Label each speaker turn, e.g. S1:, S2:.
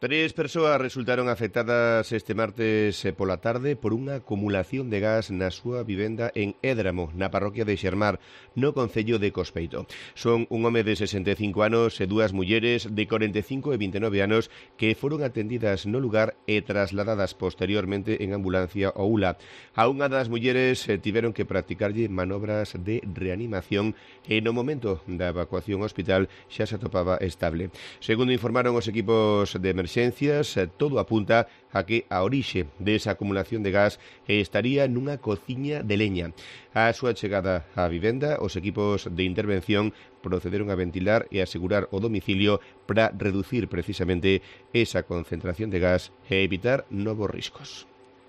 S1: Tres persoas resultaron afectadas este martes pola tarde por unha acumulación de gas na súa vivenda en Édramo, na parroquia de Xermar, no concello de Cospeito. Son un home de 65 anos e dúas mulleres de 45 e 29 anos que foron atendidas no lugar e trasladadas posteriormente en ambulancia ao ULA. A unha das mulleres tiveron que practicarlle manobras de reanimación e no momento da evacuación ao hospital xa se atopaba estable. Segundo informaron os equipos de emerxencias, todo apunta a que a orixe desa acumulación de gas estaría nunha cociña de leña. A súa chegada á vivenda, os equipos de intervención procederon a ventilar e asegurar o domicilio para reducir precisamente esa concentración de gas e evitar novos riscos.